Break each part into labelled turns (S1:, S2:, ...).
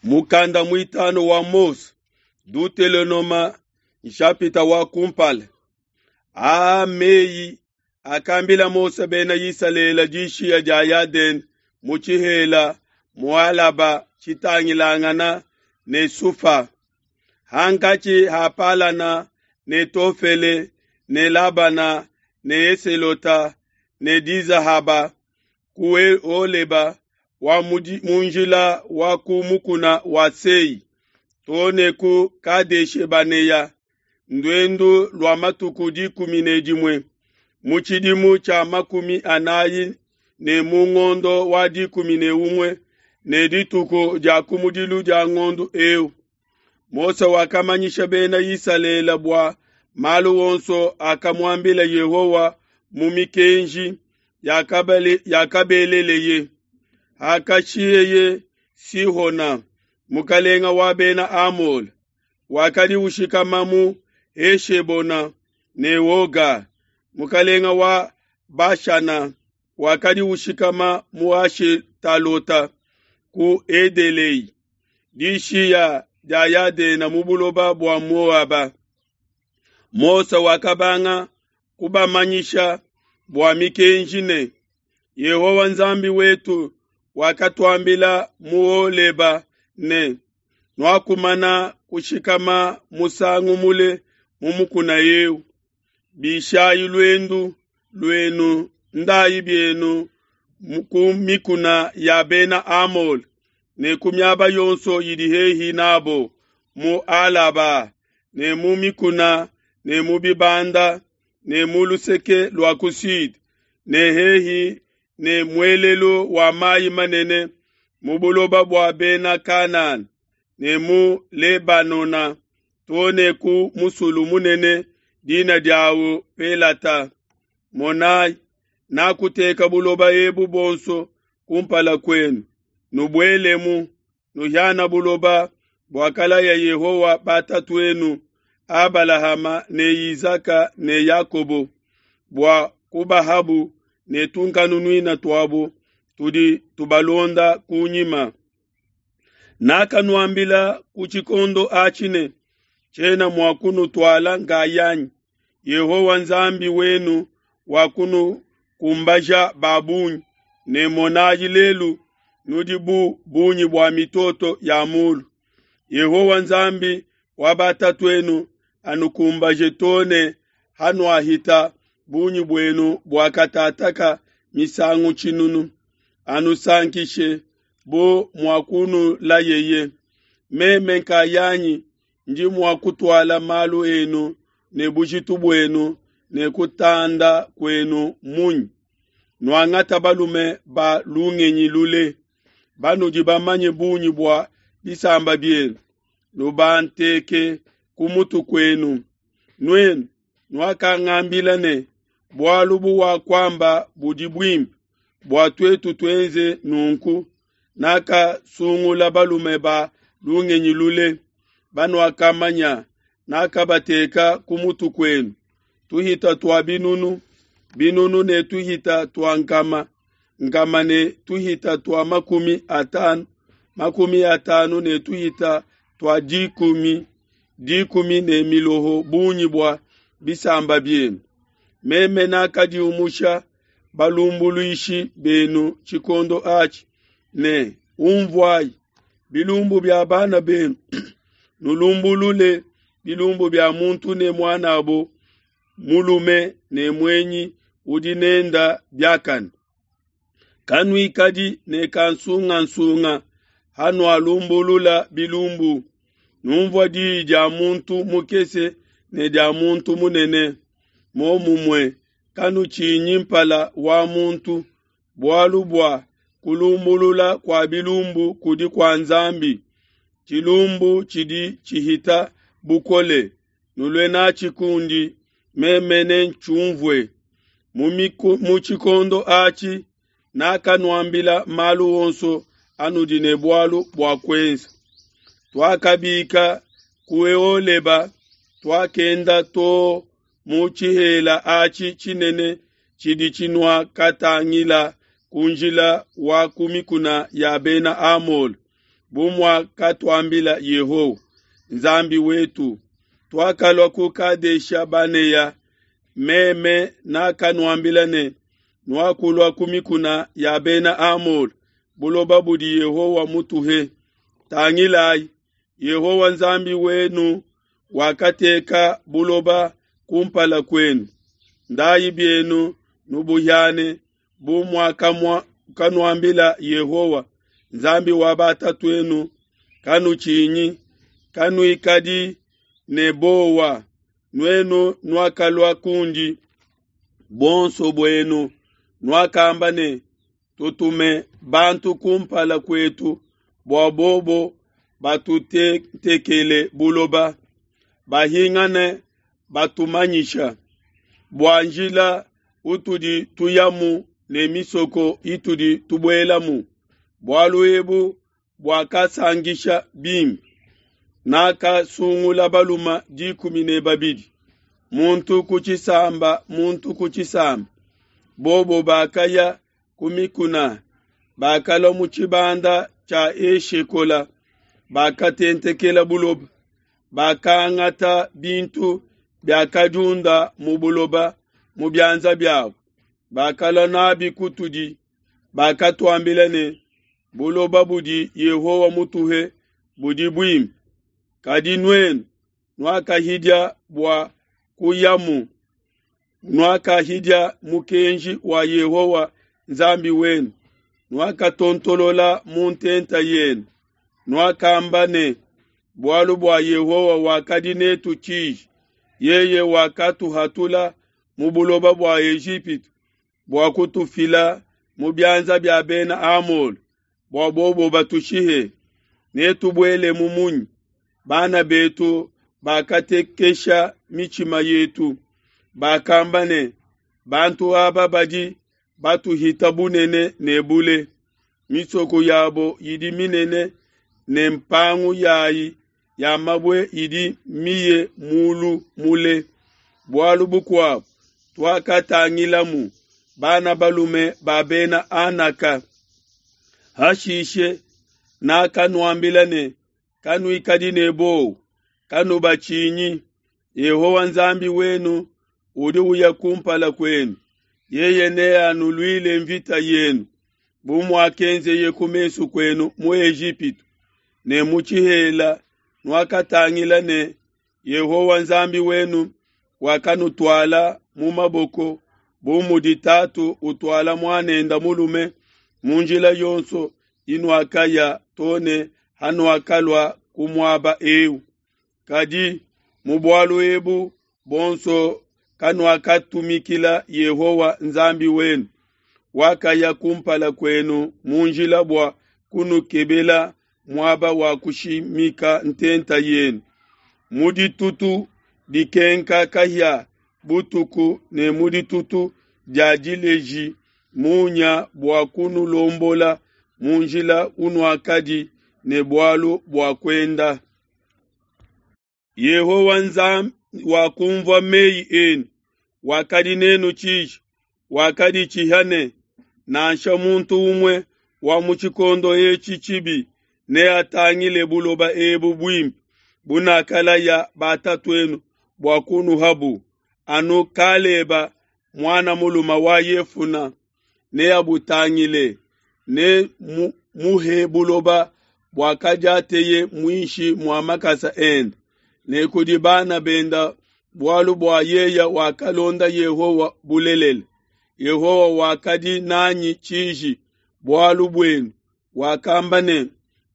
S1: Mukanda muitanu wa Mose, Dutelonoma, nshapita wa kumpala. Aa mmeyi akambila Mose bena Isalele dishiya dia Yadene mu tshihela mu Alaba tshitangilangana ne Sufa, hankatshi ha Palana ne Tofele ne Labana ne Eselota ne Dizahaba ku Holeba wa mu njila wa ku mukuna wa Sei too ne ku Kadeshe-Banea, nduendu lua matuku 11 mu tshidimu tshia 40 ne mu ngondo wa 11 ne dituku dia kumudilu dia ngondo eu. Mose wakamanyisha bena Isalele bua malu onso akamuambila Yehowa mu mikenji yakabeleleye. Hakashiheye Sihona, mukalenga wa bena Amole, wakadi ushikama mu Heshebona, ne Oga, mukalenga wa Bashana, wakadi ushikama mu Ashetalota ku Edelei, dishiya dia Yadena mu buloba bua Moaba. Mose wakabanga kubamanyisha bua mikenji ne, Yehowa Nzambi wetu wakatuambila mu Holeba ne, Nuakumana kushikama musangu mule mu mukuna eu. Bishayi luendu luenu, ndayi bienu ku mikuna ya bena Amole ne ku miaba yonso idi hehi nabo mu Alaba ne mu mikuna ne mu bibanda ne mu luseke lua ku sud ne hehi ne muelelu wa mayi manene mu buloba bua bena Kanana ne mu Lebanona too ne ku musulu munene dina diawu Pelata. Monayi, nakuteka buloba ebu buonso kumpala kuenu, nubuelemu, nuhiana buloba buakalaya Yehowa batatuenu Abalahama ne Izaka ne Yakobo, bua kubahabu ne tunkanunuina tuabu tudi tubalonda kunyima. Nakanuambila ku tshikondo atshi ne, tshiena mua kunutuala nkayanyi. Yehowa Nzambi wenu wakunukumbaja ba bungi, ne monayi lelu nudi bu bungi bua mitoto ya mulu. Yehowa Nzambi wa batatuenu anukumbaje too ne hanuahita bungi buenu buakatataka misangu tshinunu, anusankishe bu muakunulayeye. Meme nkayanyi ndi mua kutuala malu enu ne bujitu buenu ne kutanda kuenu munyi? Nuangata balume ba lungenyi lule, banudi bamanye bungi bua bisamba bienu, nubanteke ku mutu kuenu. Nuenu nuakangambila ne, bualu buwakuamba budi buimpe, bua tuetu tuenze nunku. Nakasungula balume ba lungenyi lule, banuakamanya, nakabateka ku mutu kuenu, tuhita tua binunu, binunu ne tuhita tua nkama, nkama ne tuhita tua 50, 50 ne tuhita tua dikumi, dikumi ne miloho bungi bua bisamba bienu. Meme nakadiumusha balumbuluishi benu tshikondo atshi ne, umvuayi bilumbu bia bana benu, nulumbulule bilumbu bia muntu ne muanabo mulume ne muenyi udi nenda biakane. Kanuikadi ne kansungansunga hanualumbulula bilumbu, numvua diyi dia muntu mukese ne dia muntu munene. Momumue kanutshinyi mpala wa muntu, bualu bua kulumbulula kua bilumbu kudi kua Nzambi. Tshilumbu tshidi tshihita bukole, nulue natshi kundi, meme nentshiumvue. Mu tshikondo atshi nakanuambila malu onso anudi ne bualu bua kuenza. Tuakabika ku Holeba, tuakenda too mu tshihela atshi tshinene tshidi tshinuakatangila ku njila wa ku mikuna ya bena Amole. bu muakatuambila Yehowa, Nzambi wetu. Tuakalua ku Kadesha Banea, meme nakanuambila ne, Nuakulua ku mikuna ya Bena Amole, buloba budi Yehowa mutuhe. Tangilayi, Yehowa Nzambi wenu wakateka buloba kumpala kuenu. Ndayi bienu nubuhiane bu muakanuambila Yehowa, Nzambi wa batatu'enu. Kanutshinyi, kanuikadi ne buowa, nuenu nuakalua kundi buonso buenu, nuakamba ne, Tutume bantu kumpala kuetu bua bobo batutentekele buloba, bahingane batumanyisha bua njila utudi tuyamu ne misoko itudi tubuelamu. Bualu ebu buakasankisha bimpe. Nakasungula balume 12, muntu ku tshisamba muntu ku tshisamba. Bobo bakaya ku mikuna, bakalua mu tshibanda tshia Eshekola, bakatentekela buloba, bakangata bintu biakadiunda mu buloba mu bianza biabo, bakalua nabi kutudi, bakatuambila ne, Buloba budi Yehowa mutuhe budi buimpe. Kadi nuenu nuakahidia bua kuyamu, nuakahidia mukenji wa Yehowa Nzambi wenu, nuakatontolola mu ntenta yenu, nuakamba ne, Bualu bua Yehowa wakadi netu tshiji, yeye wakatuhatula mu buloba bua Ejipitu bua kutufila mu bianza bia Bena Amole, bua bobo batushihe. Netubuelemu munyi? Bana betu bakatekesha mitshima yetu, bakamba ne, Bantu aba badi batuhita bunene ne bule, misoko yabo idi minene ne mpangu yayi ya mabue idi miye mulu mule. Bualu bukuabo, tuakatangilamu bana balume ba Bena Anaka. Hashishe nakanuambila ne, Kanuikadi ne buowa, kanubatshinyi. Yehowa Nzambi wenu udi uya kumpala kuenu, yeye neanuluile mvita yenu, bu muakenzeye ku mesu kuenu mu Ejipitu ne mu tshihela. Nuakatangila ne Yehowa Nzambi wenu wakanutuala mu maboko bu mudi tatu utuala muanende mulume mu njila yonso inuakaya to ne hanuakalua ku muaba eu. Kadi mu bualu ebu buonso kanuakatumikila Yehowa Nzambi wenu, wakaya kumpala kuenu mu njila bua kunukebela muaba wa kushimika ntenta yenu, mu ditutu dikenka kahia butuku ne mu ditutu dia dileji munya bua kunulombola mu njila unuakadi ne bualu bua kuenda. Yehowa Nzambi wakumvua meyi enu, wakadi nenu tshiji, wakaditshiha ne, Nansha muntu umue wa mu tshikondo etshi tshibi neatangile buloba ebu buimpe bunakalaya batatu'enu bua kunuhabu, anu Kaleba muana mulume wa Yefuna neabutangile, ne muhe buloba buakadiateye muinshi mua makasa ende, ne kudi bana benda, bualu bua yeye wakalonda Yehowa bulelela. Yehowa wakadi nanyi tshiji bualu buenu, wakamba ne,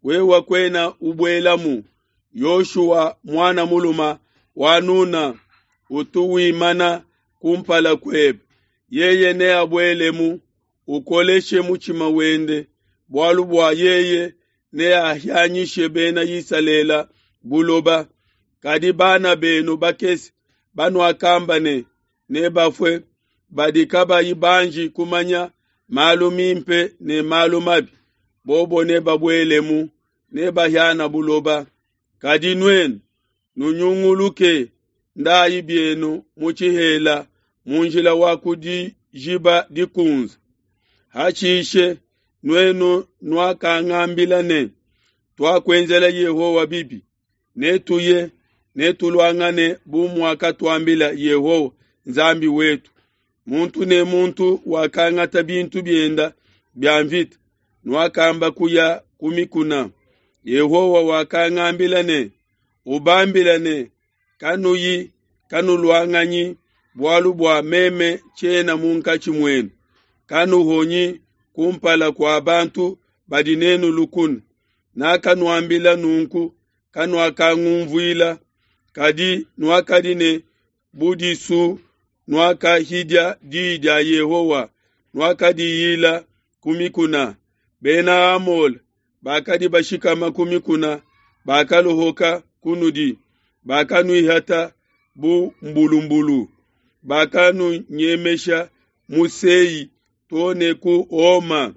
S1: Wewe kuena ubuelamu. Yoshua muana mulume wa Nuna utu wimana kumpala kuebe, yeye neabuelemu, ukoleshe mutshima wende, bualu bua yeye neahianyishe Bena Isalele buloba. Kadi bana benu bakese banuakamba ne, Nebafue, badi kabayi banji kumanya malu mimpe ne malu mabi, bobo nebabuelemu, nebahiana buloba. Kadi nuenu nunyunguluke, ndayi bienu mu tshihela mu njila wa ku Dijiba Dikunze. Hashishe nuenu nuakangambila ne, Tuakuenzela Yehowa bibi, netuye, netuluangane bu muakatuambila Yehowa Nzambi wetu. Muntu ne muntu wakangata bintu bienda bia mvita, nuakamba kuya ku mikuna. Yehowa wakangambila ne, Ubambile ne, Kanuyi, kanuluanganyi, bualu bua meme tshiena munkatshi muenu. Kanuhonyi kumpala kua bantu badi nenu lukuna. Nakanuambila nunku, kanuakangunvuila, kadi nuakadi ne budisu, nuakahidia di dia Yehowa, nuakadiyila ku mikuna. Bena Amole bakadi bashikama ku mikuna bakaluhuka kunudi, bakanuihata bu mbulumbulu, bakanunyemesha mu Sei to ne ku Oma.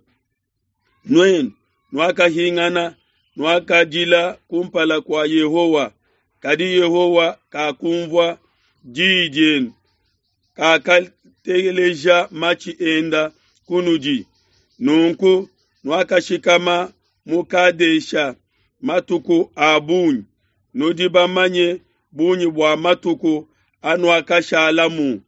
S1: Nuenu nuakahingana, nuakadila kumpala kua Yehowa, kadi Yehowa kakunvua di dienu, kakateleja matshi enda kunudi. Nunku nuakashikama mu Kadesha matuku a bungi, nudi bamanye bungi bua matuku anuakashalamu.